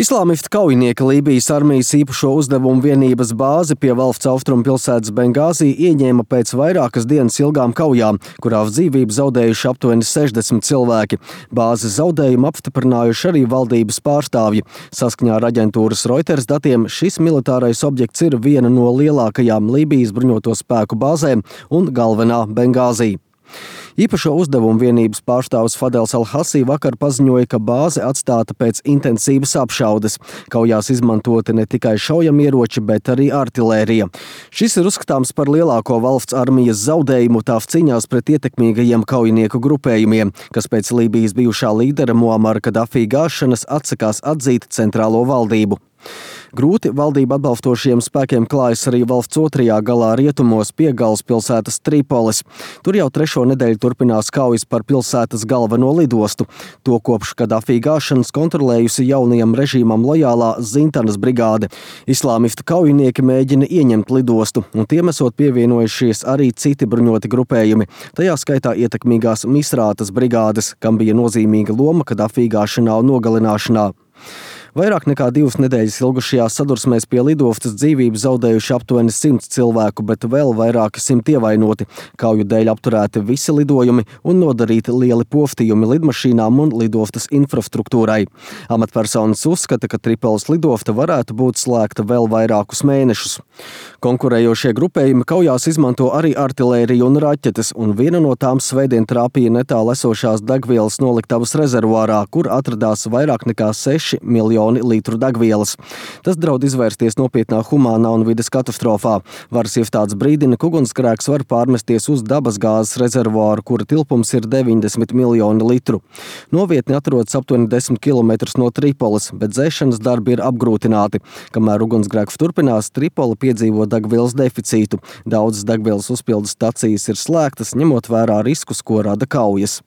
Islāmistu kaujinieki Lībijas armijas īpašo uzdevumu vienības bāzi pie valsts austrumu pilsētas Bengāzī ieņēma pēc vairākas dienas ilgām kaujām, kurās dzīvību zaudējuši aptuveni 60 cilvēki. Bāzes zaudējumu apstiprinājuši arī valdības pārstāvji. Saskaņā ar aģentūras Reuters datiem šis militārais objekts ir viena no lielākajām Lībijas bruņoto spēku bāzēm un galvenā Bengāzī. Īpašo uzdevumu vienības pārstāvis Fadels Al-Hasī vakar paziņoja, ka bāze atstāta pēc intensīvas apšaudes. Kaujās izmantoti ne tikai šaujamieroči, bet arī artilērija. Šis ir uzskatāms par lielāko valsts armijas zaudējumu tās cīņās pret ietekmīgajiem kaujinieku grupējumiem, kas pēc Lībijas bijušā līdera Muamara Kadafī gāšanas atsakās atzīt centrālo valdību. Grūti valdību atbalstošiem spēkiem klājas arī valsts otrajā galā rietumos pie galvaspilsētas Tripolis. Tur jau trešo nedēļu turpinās kaujas par pilsētas galveno lidostu. To kopš Kadafī gāšanas kontrolējusi jaunajam režīmam lojālā Zintanas brigāde. Islāmistu kaujinieki mēģina ieņemt lidostu, un tiem esot pievienojušies arī citi bruņoti grupējumi. Tajā skaitā ietekmīgās Misrātas brigādes, kam bija nozīmīga loma Kadafī gāšanā un nogalināšanā. Vairāk nekā 2 nedēļas ilgušajās sadursmēs pie lidostas dzīvību zaudējuši aptuveni 100 cilvēku, bet vēl vairāki 100 ievainoti. Kauju dēļ apturēti visi lidojumi un nodarīti lieli postījumi lidmašīnām un lidostas infrastruktūrai. Amatpersonas uzskata, ka Tripolis lidosta varētu būt slēgta vēl vairākus mēnešus. Konkurējošie grupējumi kaujās izmanto arī artilēriju un raķetes, un viena no tām svētdien trāpīja netālu esošās degvielas noliktavas rezervuārā, kur atradās vairāk nekā 6 miljoni litru degvielas. Tas draud izvērsties nopietnā humānā un vides katastrofā. Varas iestādes brīdina, ka ugunsgrēks var pārmesties uz dabasgāzes rezervuāru, kura tilpums ir 90 miljoni litru. Novietne atrodas aptuveni 10 km no Tripolis, bet dzēšanas darbi ir apgrūtināti. Kamēr ugunsgrēks turpinās, Tripola piedzīvo degvielas deficītu. Daudzas degvielas uzpildes stacijas ir slēgtas, ņemot vērā riskus, ko rada kaujas.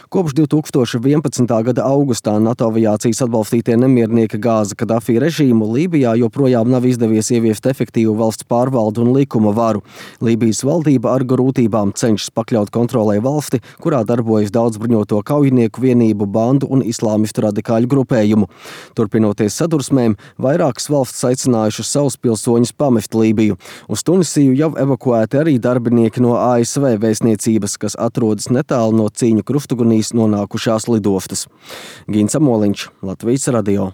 Kopš 2011. gada augustā NATO aviācijas atbalstītie nemiernieki gāza Kadafī režīmu, Lībijā joprojām nav izdevies ieviest efektīvu valsts pārvaldu un likuma varu. Lībijas valdība ar grūtībām cenšas pakļaut kontrolē valsti, kurā darbojas daudz bruņoto kaujinieku vienību, bandu un islāmistu radikāļu grupējumu. Turpinoties sadursmēm, vairākas valsts aicinājušas savus pilsoņus pamest Lībiju. Uz Tunisiju jau evakuēti arī darbinieki no ASV vēstniecības, kas atrodas netālu no cīņu krustugunīs nonākušās lidostas. Gins Amoliņš, Latvijas radio.